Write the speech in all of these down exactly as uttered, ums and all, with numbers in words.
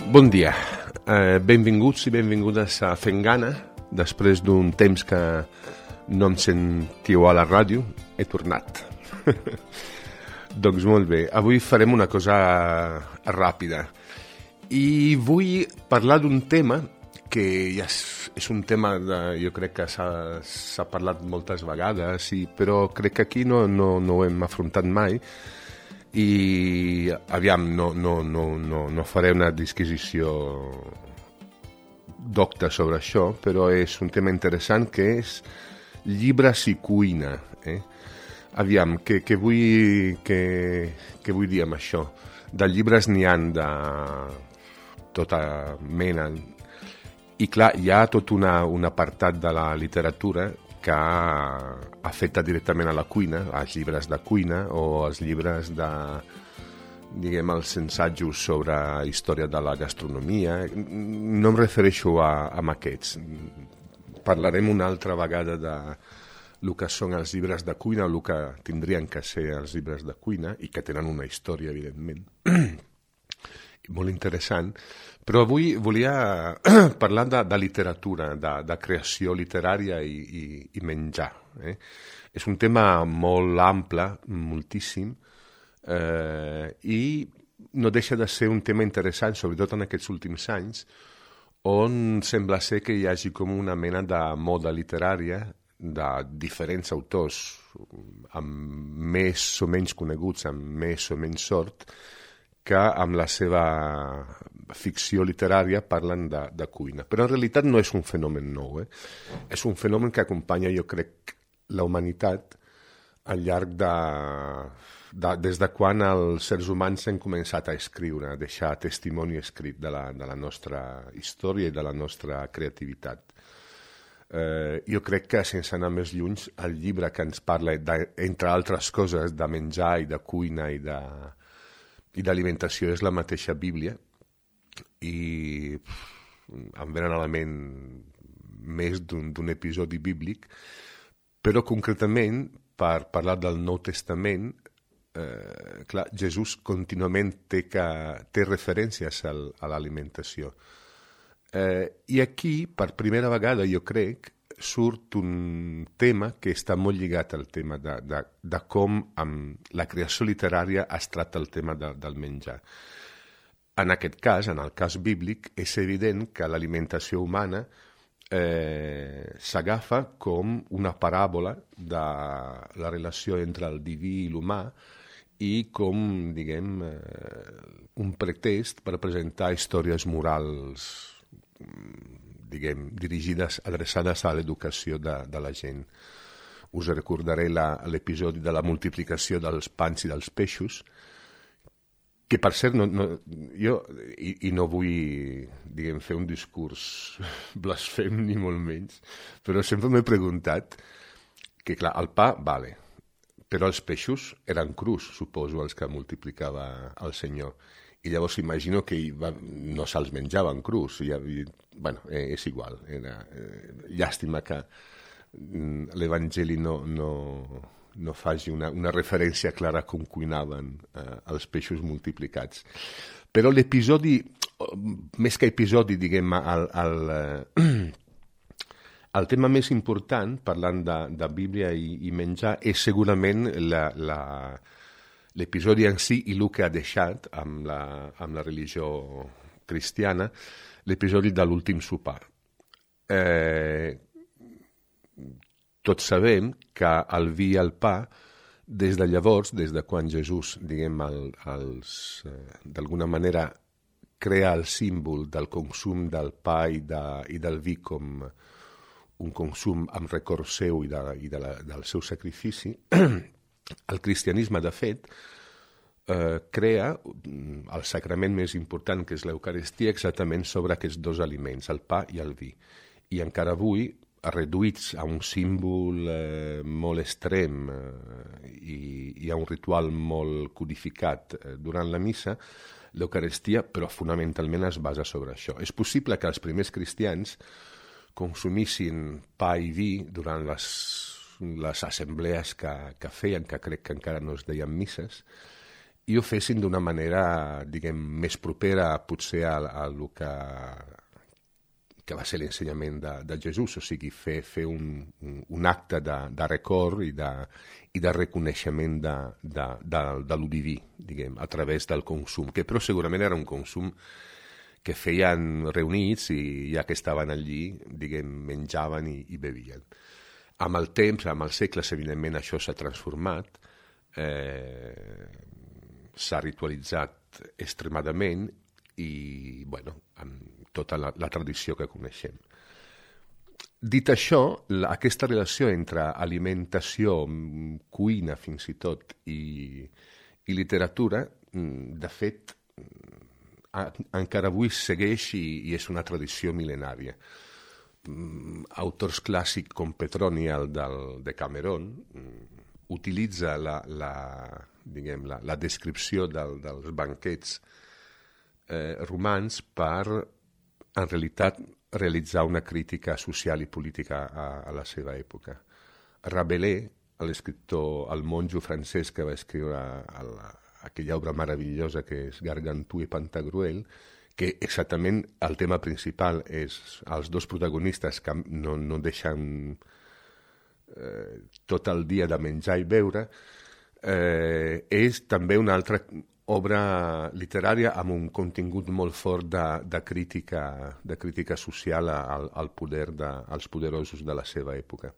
Bon dia, eh, benvinguts i benvingudes a Fent Gana. Després d'un temps que no em sentiu a la ràdio, he tornat. Doncs molt bé, avui farem una cosa ràpida i vull parlar d'un tema que ja és, és un tema de, jo crec que s'ha parlat moltes vegades, i, però crec que aquí no, no, no ho hem afrontat mai. I aviam, no, no, no, no, no faré una disquisició docta sobre això, però és un tema interessant, que és llibres i cuina. Eh? Aviam, què, què, vull, què, què vull dir amb això? De llibres n'hi ha de tota mena. I clar, hi ha tot una, un apartat de la literatura que afecta directament a la cuina, als llibres de cuina o als llibres de, diguem, els ensajos sobre història de la gastronomia. No em refereixo a, a aquests. Parlarem una altra vegada de el que són els llibres de cuina, o el que tindrien que ser els llibres de cuina, i que tenen una història, evidentment, molt interessant. Però avui volia parlar de, de literatura, de, de creació literària i, i, i menjar. Eh? És un tema molt ample, moltíssim, eh, i no deixa de ser un tema interessant, sobretot en aquests últims anys, on sembla ser que hi hagi com una mena de moda literària de diferents autors, amb més o menys coneguts, amb més o menys sort, que amb la seva ficció literària parlen de, de cuina. Però en realitat no és un fenomen nou. Eh? És un fenomen que acompanya, jo crec, la humanitat al llarg de, de... des de quan els seres humans han començat a escriure, a deixar testimoni escrit de la, de la nostra història i de la nostra creativitat. Eh, jo crec que, sense anar més lluny, el llibre que ens parla, de, entre altres coses, de menjar i de cuina i de i d'alimentació és la mateixa Bíblia, i em venen a la ment més d'un episodi bíblic, però concretament, per parlar del Nou Testament, eh, clar, Jesús contínuament té, que, té referències al, a l'alimentació. Eh, I aquí, per primera vegada, jo crec, surt un tema que està molt lligat al tema de, de, de com amb la creació literària es tracta el tema de, del menjar. En aquest cas, en el cas bíblic, és evident que l'alimentació humana eh, s'agafa com una paràbola de la relació entre el diví i l'humà, i com, diguem, eh, un pretext per presentar històries morals, diguem, dirigides, adreçades a l'educació de, de la gent. Us recordaré l'episodi de la multiplicació dels pans i dels peixos, que, per cert, no, no, jo, i, i no vull, diguem, fer un discurs blasfem ni molt menys, però sempre m'he preguntat que, clar, el pa, vale, però els peixos eren crus, suposo, els que multiplicava el Senyor. I llavors imagino que va, no se'ls menjaven crus. I, bueno, eh, és igual. Era, eh, llàstima que mm, l'Evangeli no, no, no faci una, una referència clara a com cuinaven eh, els peixos multiplicats. Però l'episodi, més que episodi, diguem, el, el, eh, el tema més important, parlant de, de Bíblia i, i menjar, és segurament la... la l'episodi en si i el que ha deixat amb la, amb la religió cristiana, l'episodi de l'últim sopar. Eh, tots sabem que el vi i el pa, des de llavors, des de quan Jesús, diguem, el, els, eh, d'alguna manera crea el símbol del consum del pa i, de, i del vi com un consum amb record seu i, de, i de la, del seu sacrifici, el cristianisme, de fet, eh, crea el sacrament més important, que és l'Eucaristia, exactament sobre aquests dos aliments, el pa i el vi. I encara avui, reduïts a un símbol eh, molt extrem eh, i, i a un ritual molt codificat eh, durant la missa, l'Eucaristia, però fonamentalment es basa sobre això. És possible que els primers cristians consumissin pa i vi durant les, les assemblees que, que feien, que crec que encara no es deien misses, i ho fessin d'una manera, diguem, més propera potser a, a el que, que va ser l'ensenyament de, de Jesús, o sigui, fer, fer un, un, un acte de, de record i de, i de reconeixement de, de, de, de lo diví, diguem, a través del consum, que però segurament era un consum que feien reunits i ja que estaven allí, diguem, menjaven i, i bevien. Amb el temps, amb els segles, evidentment, això s'ha transformat, eh, s'ha ritualitzat extremadament i, bueno, amb tota la, la tradició que coneixem. Dit això, la, aquesta relació entre alimentació, cuina fins i tot, i, i literatura, de fet, a, encara avui segueix i, i és una tradició mil·lenària. Autors clàssics com Petronial del Decameron utilitza la, la, diguem, la, la descripció del, dels banquets eh, romans per, en realitat, realitzar una crítica social i política a, a la seva època. Rabelais, l'escriptor, el monjo francès que va escriure el, aquella obra meravellosa que és Gargantua i Pantagruel, que exactament el tema principal és els dos protagonistes que no, no deixen eh, tot el dia de menjar i beure, eh, és també una altra obra literària amb un contingut molt fort de, de, crítica, de crítica social al, al poder de, als poderosos de la seva època.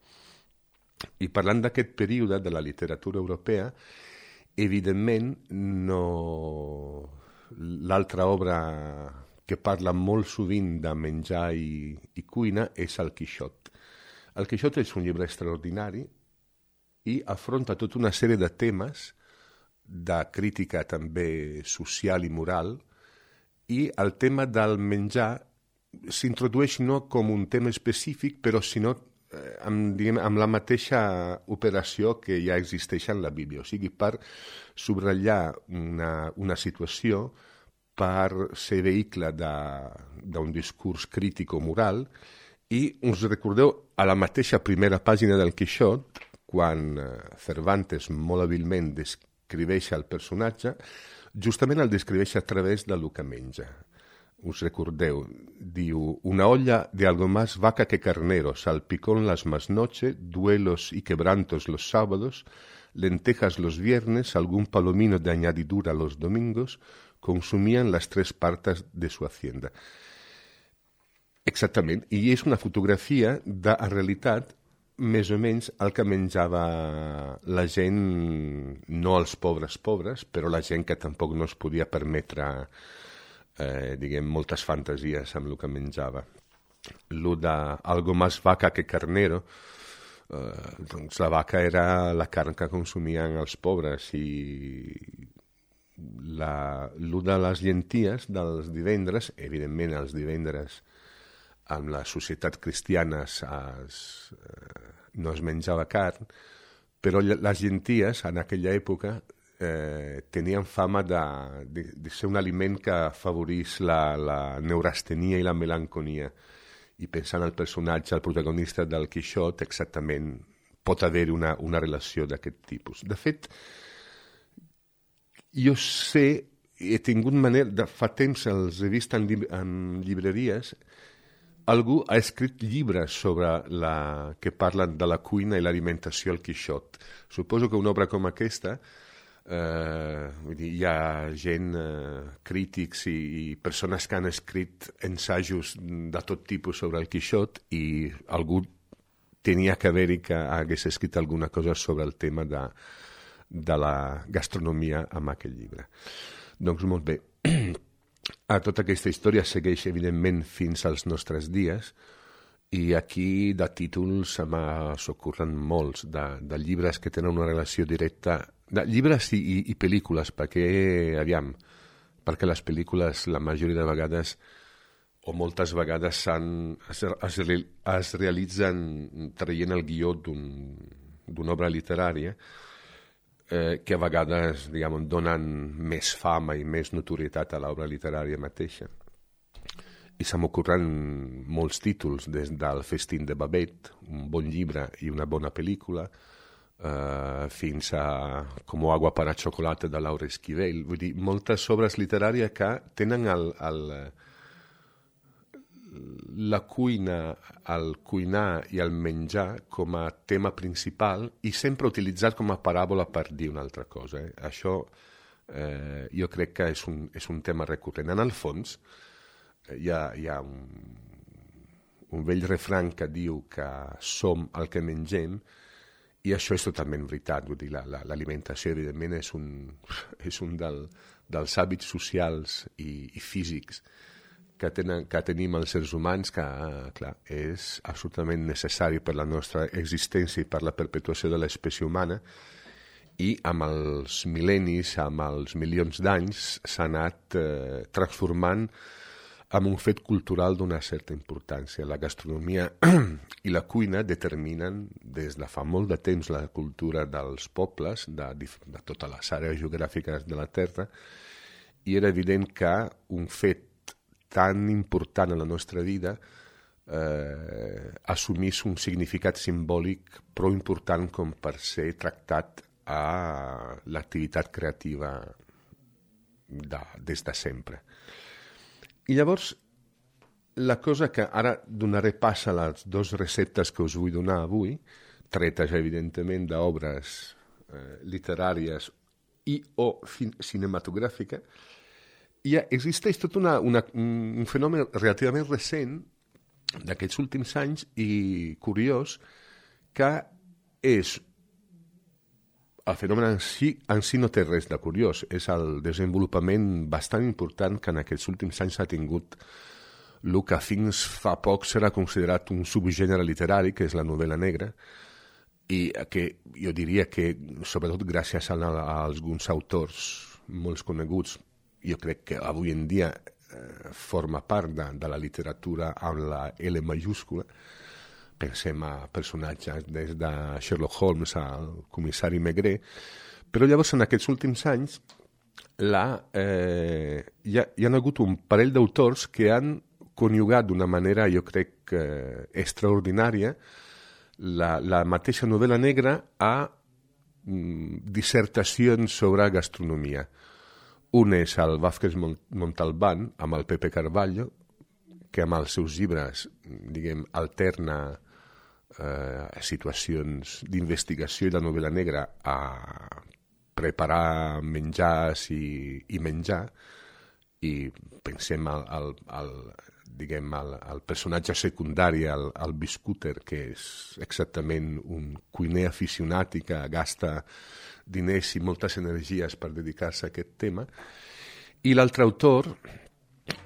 I parlant d'aquest període de la literatura europea, evidentment no... L'altra obra que parla molt sovint de menjar i, i cuina és el Quixot. El Quixot és un llibre extraordinari i afronta tota una sèrie de temes de crítica també social i moral, i el tema del menjar s'introdueix no com un tema específic, però sinó eh, amb, diguem, amb la mateixa operació que ja existeix en la Bíblia, o sigui, per subratllar una, una situació, per ser vehicle d'un discurs crític o moral, i us recordeu a la mateixa primera pàgina del Quixot, quan Cervantes molt hàbilment descriveix el personatge, justament el descriveix a través del que menja. Us recordeu, diu, una olla de algo más vaca que carnero, salpicón las más noche, duelos y quebrantos los sábados, lentejas los viernes, algún palomino de añadidura los domingos, consumien les tres partes de su hacienda. Exactament, i és una fotografia de, en realitat, més o menys el que menjava la gent, no els pobres pobres, però la gent que tampoc no es podia permetre, eh, diguem, moltes fantasies amb el que menjava. Lo de algo más vaca que carnero, eh, doncs la vaca era la carn que consumien els pobres, i La, lo de les llenties dels divendres, evidentment els divendres amb la societat cristiana es, eh, no es menjava carn, però les llenties en aquella època eh, tenien fama de, de, de ser un aliment que afavorís la, la neurastenia i la melanconia, i pensant el personatge, el protagonista del Quixot, exactament pot haver-hi una, una relació d'aquest tipus. De fet, jo sé, he tingut manera, de fa temps els he vist en, llib en llibreries, algú ha escrit llibres sobre la, que parlen de la cuina i l'alimentació al Quixot. Suposo que una obra com aquesta, eh, vull dir, hi ha gent, eh, crítics i, i persones que han escrit ensajos de tot tipus sobre el Quixot, i algú tenia que haver-hi que hagués escrit alguna cosa sobre el tema de de la gastronomia amb aquest llibre. Doncs molt bé. A tota aquesta història segueix, evidentment, fins als nostres dies, i aquí de títols se m'ocorren molts, de, de llibres que tenen una relació directa, de llibres i, i, i pel·lícules, perquè, aviam, perquè les pel·lícules la majoria de vegades, o moltes vegades, es, es, es realitzen traient el guió d'una obra literària, Eh, que a vegades, diguem, donen més fama i més notorietat a l'obra literària mateixa. I se m'ocorren molts títols, des del Festín de Babette, un bon llibre i una bona pel·lícula, uh, fins a Com agua para chocolate de Laura Esquivel. Vull dir, moltes obres literàries que tenen el, el, la cuina, el cuinar i el menjar com a tema principal i sempre utilitzat com a paràbola per dir una altra cosa. Eh? Això eh, jo crec que és un, és un tema recurrent. En el fons, hi ha, hi ha un, un vell refrany que diu que som el que mengem, i això és totalment veritat. Vull dir, la, la, l'alimentació, evidentment, és un, és un del, dels hàbits socials i, i físics que, tenen, que tenim els seres humans, que, clar, és absolutament necessari per la nostra existència i per la perpetuació de l'espècie humana, i amb els mil·lennis, amb els milions d'anys, s'ha anat eh, transformant en un fet cultural d'una certa importància. La gastronomia i la cuina determinen des de fa molt de temps la cultura dels pobles, de, de totes les àrees geogràfiques de la Terra, i era evident que un fet tan important en la nostra vida eh, assumís un significat simbòlic prou important com per ser tractat a l'activitat creativa de, des de sempre. I llavors, la cosa que ara donaré pas a les dues receptes que us vull donar avui, tretes, evidentment, d'obres eh, literàries i o fin- cinematogràfiques, i existeix tot una, una, un fenomen relativament recent d'aquests últims anys i curiós, que és el fenomen en si, en si no té res de curiós, és el desenvolupament bastant important que en aquests últims anys ha tingut el que fins fa poc serà considerat un subgènere literari, que és la novel·la negra, i que jo diria que, sobretot gràcies a, a, a alguns autors molt coneguts, jo crec que avui en dia eh, forma part de, de la literatura amb la L majúscula. Pensem a personatges des de Sherlock Holmes al comissari Maigret, però llavors en aquests últims anys la, eh, hi, ha, hi ha hagut un parell d'autors que han conjugat d'una manera, jo crec, eh, extraordinària la, la mateixa novel·la negra a mm, dissertacions sobre gastronomia. Un és el Vázquez Montalbán, amb el Pepe Carballo, que amb els seus llibres, diguem, alterna eh, situacions d'investigació i la novel·la negra a preparar menjars i, i menjar, i pensem al, al, al, diguem, al, al personatge secundari, al, al Biscúter, que és exactament un cuiner aficionat i que gasta diners i moltes energies per dedicar-se a aquest tema. I l'altre autor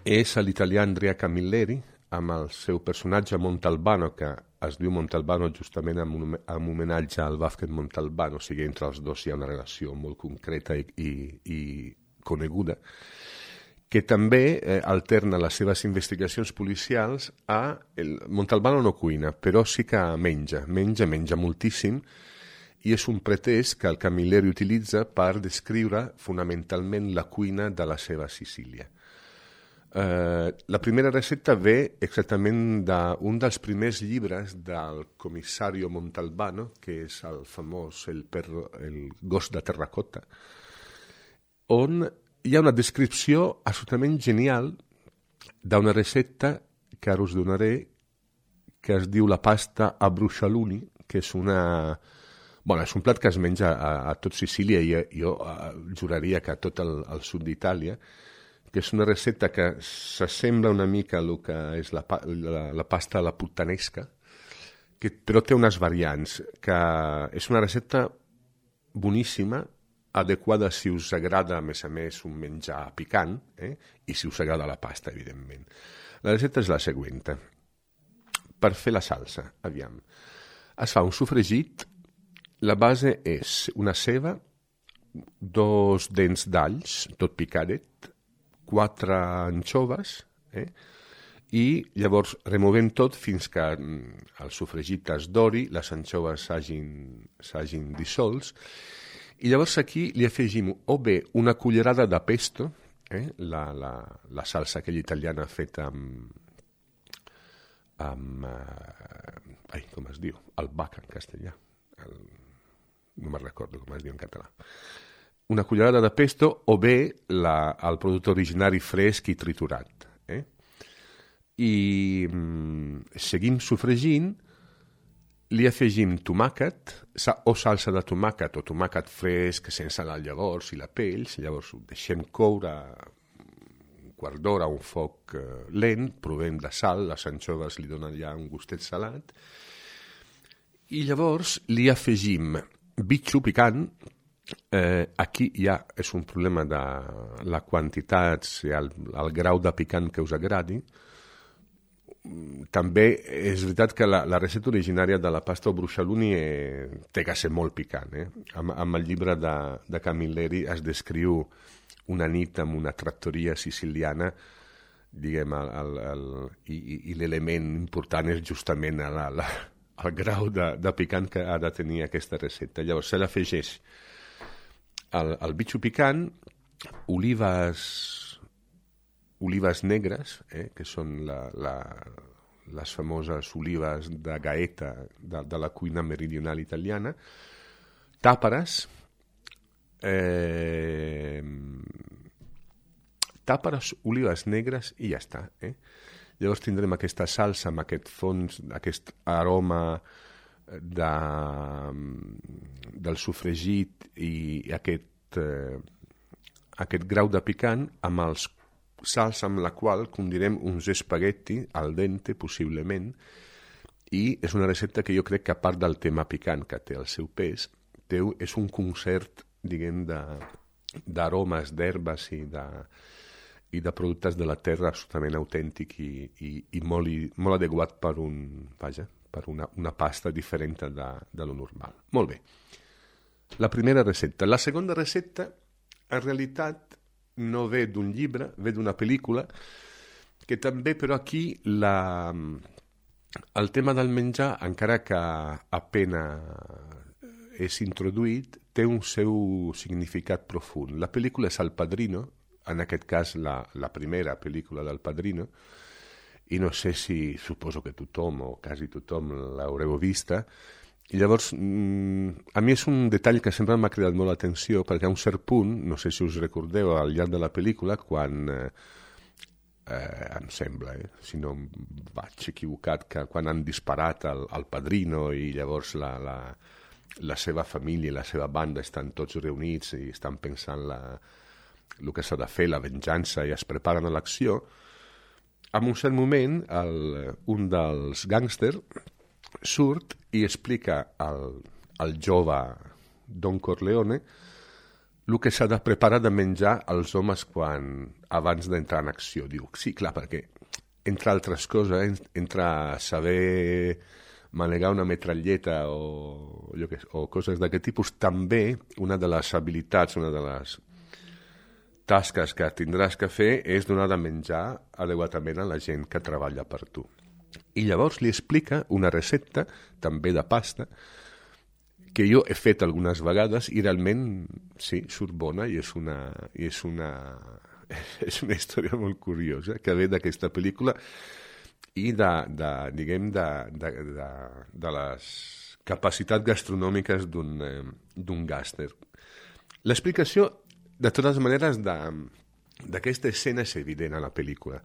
és l'italià Andrea Camilleri, amb el seu personatge Montalbano, que es diu Montalbano justament amb un, amb homenatge al Vázquez Montalbán, o sigui, entre els dos hi ha una relació molt concreta i, i, i coneguda, que també eh, alterna les seves investigacions policials a... El Montalbano no cuina, però sí que menja, menja, menja moltíssim, i és un pretest que el Camilleri utilitza per descriure fonamentalment la cuina de la seva Sicília. Eh, la primera recepta ve exactament d'un dels primers llibres del comissario Montalbano, que és el famós El, perro, el gos de terracota, on hi ha una descripció absolutament genial d'una recepta que ara us donaré, que es diu la pasta a brucialuni, que és una... Bueno, és un plat que es menja a, a tot Sicília i jo a, juraria que a tot el, el sud d'Itàlia, que és una recepta que s'assembla una mica a el que és la, la, la pasta a la puttanesca, que, però té unes variants, que és una recepta boníssima, adequada si us agrada, a més a més, un menjar picant, eh? I si us agrada la pasta, evidentment. La recepta és la següent. Per fer la salsa, aviam, es fa un sofregit. La base és una ceba, dos dents d'alls, tot picadet, quatre anxoves, eh? I llavors removem tot fins que el sofregit es dori, les anxoves s'hagin dissolts, i llavors aquí li afegim o bé una cullerada de pesto, eh? la, la, la salsa aquella italiana feta amb, amb eh, ai, com es diu? Albahaca en castellà. El, no me'n recordo com es diu en català, una cullerada de pesto o bé la, el producte originari fresc i triturat. Eh? I mm, seguim sofregint, li afegim tomàquet o salsa de tomàquet o tomàquet fresc sense la llavors i la pell, llavors ho deixem coure un quart d'hora a un foc eh, lent, provem de sal, les anxoves li donen ja un gustet salat, i llavors li afegim bitxo picant. Eh, aquí ja és un problema de la quantitat i el, el grau de picant que us agradi. També és veritat que la, la recepta originària de la pasta o bruixaluni eh, té que ser molt picant. Eh? Amb, amb el llibre de, de Camilleri es descriu una nit en una trattoria siciliana, diguem, el, el, el, i, i l'element important és justament la, la, el grau de, de picant que ha de tenir aquesta recepta. Llavors se l'afegeix el, el bitxo picant, olives, olives negres, eh, que són la, la, les famoses olives de Gaeta de, de la cuina meridional italiana, tàperes, eh, tàperes, olives negres i ja està. Eh? Llavors tindrem aquesta salsa amb aquest fons, aquest aroma de, del sofregit i aquest, eh, aquest grau de picant amb els salsa amb la qual condirem uns espagueti al dente, possiblement, i és una recepta que jo crec que, a part del tema picant, que té el seu pes, té, és un concert, diguem, d'aromes, d'herbes i de, i de productes de la terra absolutament autèntic i, i, i, molt, i molt adequat per, un, vaja, per una, una pasta diferent de, de lo normal. Molt bé. La primera recepta. La segona recepta, en realitat, no ve d'un llibre, ve d'una pel·lícula, que també, però aquí, la, el tema del menjar, encara que apenas és introduït, té un seu significat profund. La pel·lícula és El Padrino, en aquest cas la, la primera pel·lícula del Padrino, i no sé si, suposo que tothom o quasi tothom l'haureu vista. I llavors, a mi és un detall que sempre m'ha cridat molt l'atenció, perquè a un cert punt, no sé si us recordeu al llarg de la pel·lícula, quan, eh, eh, em sembla, eh, si no em vaig equivocat, que quan han disparat al, al Padrino i llavors la, la, la seva família i la seva banda estan tots reunits i estan pensant la, el que s'ha de fer, la venjança, i es preparen a l'acció, en un cert moment el, un dels gàngsters surt i explica al, al jove Don Corleone el que s'ha de preparar de menjar als homes quan, abans d'entrar en acció. Diu, sí, clar, perquè, entre altres coses, entre saber manegar una metralleta o, que, o coses d'aquest tipus, també una de les habilitats, una de les tasques que tindràs que fer és donar de menjar adequadament a la gent que treballa per tu. I llavors li explica una recepta, també de pasta, que jo he fet algunes vegades i realment, sí, surt bona i és una, i és una, és una història molt curiosa que ve d'aquesta pel·lícula i de, de diguem, de, de, de, de les capacitats gastronòmiques d'un, eh, d'un gàngster. L'explicació, de totes maneres, d'aquesta escena és evident a la pel·lícula.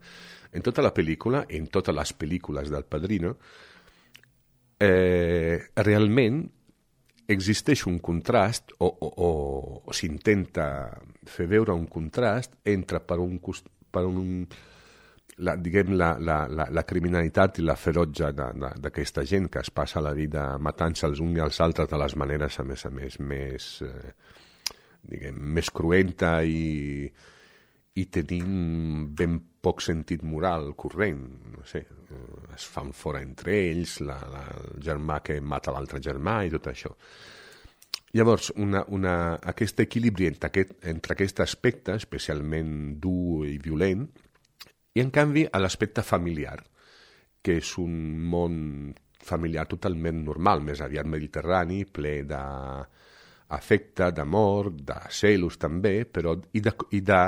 En tota la pel·lícula, en totes les pel·lícules del Padrino, eh, realment existeix un contrast, o, o, o, o s'intenta fer veure un contrast entre, per un, per un la, diguem, la, la, la, la criminalitat i la ferotge d'aquesta gent que es passa la vida matant-se els uns i els altres de les maneres, a més a més, més... Eh, diguem, més cruenta i, i tenint ben poc sentit moral corrent. No sé, es fan fora entre ells, la, la, el germà que mata l'altre germà i tot això. Llavors, una, una, aquest equilibri entre aquest, entre aquest aspecte, especialment dur i violent, i en canvi a l'aspecte familiar, que és un món familiar totalment normal, més aviat mediterrani, ple de afecte, d'amor, de celos també, però i de, i de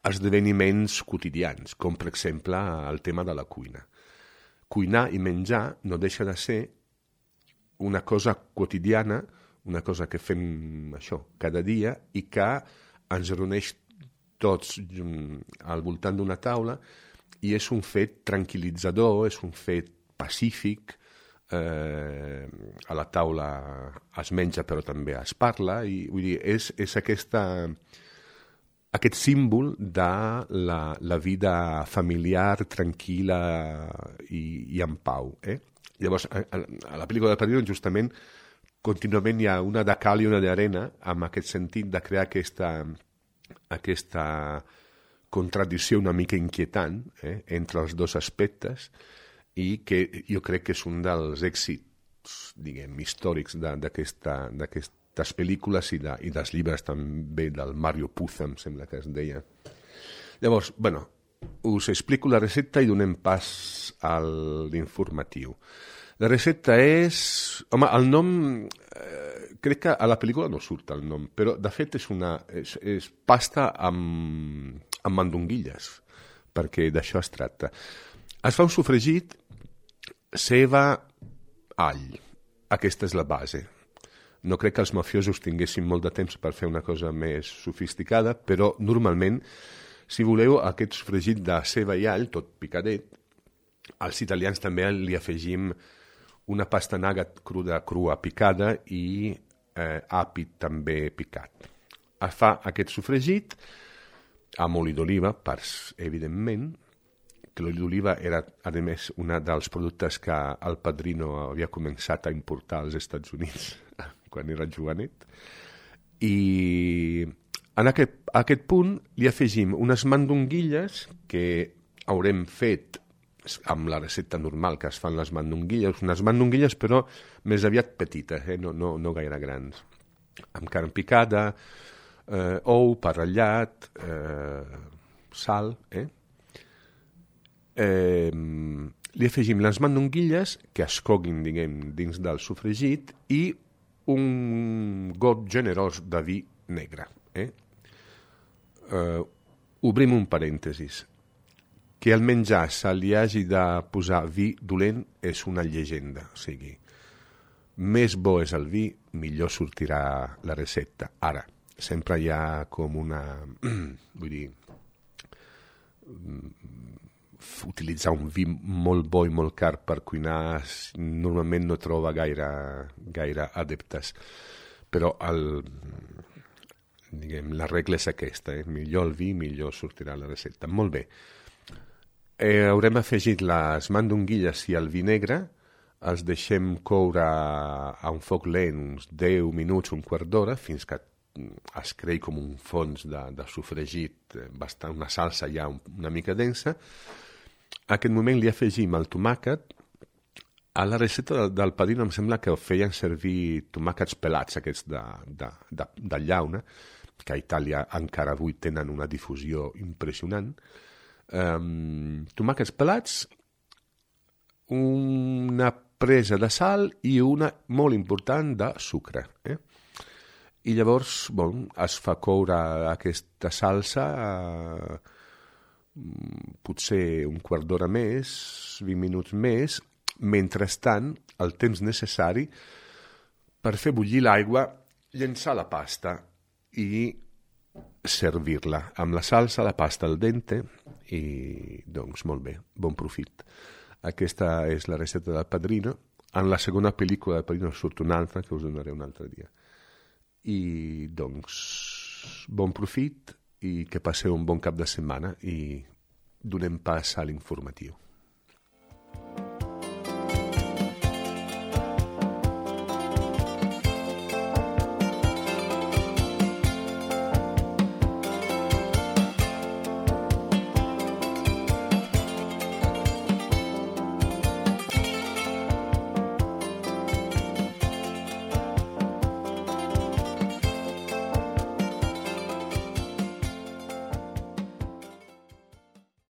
esdeveniments quotidians, com per exemple el tema de la cuina. Cuinar i menjar no deixa de ser una cosa quotidiana, una cosa que fem això cada dia i que ens reuneix tots al voltant d'una taula i és un fet tranquil·litzador, és un fet pacífic, eh, a la taula es menja però també es parla, i vull dir, és, és aquesta, aquest símbol de la, la vida familiar tranquil·la i, i en pau. Eh? Llavors, a, a la pel·lícula de Padrino, justament, contínuament hi ha una de cal i una d'arena, amb aquest sentit de crear aquesta, aquesta contradicció una mica inquietant eh, entre els dos aspectes, i que jo crec que és un dels èxits, diguem, històrics d'aquestes pel·lícules i, de, i dels llibres també del Mario Puzo, em sembla que es deia. Llavors, bueno, us explico la recepta i donem pas a l'informatiu. La recepta és... Home, el nom... Eh, crec que a la pel·lícula no surt el nom, però de fet és una... És, és pasta amb, amb mandonguilles, perquè d'això es tracta. Es fa un sofregit, ceba, all. Aquesta és la base. No crec que els mafiosos tinguessin molt de temps per fer una cosa més sofisticada, però normalment, si voleu, aquest sofregit de ceba i all, tot picadet, als italians també li afegim una pastanaga cruda, crua picada i eh, api també picat. Es fa aquest sofregit amb oli d'oliva, evidentment, que l'oli d'oliva era, a més, un dels productes que el Padrino havia començat a importar als Estats Units quan era jovenet. I en aquest, a aquest punt li afegim unes mandonguilles que haurem fet amb la recepta normal que es fan les mandonguilles, unes mandonguilles però més aviat petites, eh? no, no, no gaire grans, amb carn picada, eh, ou, pa ratllat, eh, sal, eh? Eh, li afegim les mandonguilles que es coguin, diguem, dins del sofregit i un got generós de vi negre. Eh? Eh, obrim un parèntesis. Que al menjar se li hagi de posar vi dolent és una llegenda. O sigui, més bo és el vi, millor sortirà la recepta. Ara, sempre hi ha com una... vull dir... utilitzar un vi molt bo i molt car per cuinar normalment no troba gaire, gaire adeptes. Però el... diguem, la regla és aquesta. Eh? Millor el vi, millor sortirà la recepta. Molt bé. Eh, haurem afegit les mandonguilles i el vi negre, els deixem coure a un foc lent uns deu minuts, un quart d'hora, fins que es creï com un fons de, de sofregit, bastant, una salsa ja una mica densa. A aquest moment li afegim el tomàquet. A la recepta del Padrino em sembla que feien servir tomàquets pelats, aquests de, de, de, de llauna, que a Itàlia encara avui tenen una difusió impressionant. Um, tomàquets pelats, una presa de sal i una molt important de sucre. Eh? I llavors bon, es fa coure aquesta salsa eh, potser un quart d'hora més, vint minuts més, mentrestant el temps necessari per fer bullir l'aigua, llençar la pasta i servir-la amb la salsa, la pasta al dente i doncs molt bé, bon profit. Aquesta és la recepta del Padrino. En la segona pel·lícula del Padrino surt una altra que us donaré un altre dia. I doncs bon profit i que passeu un bon cap de setmana i donem pas a l'informatiu.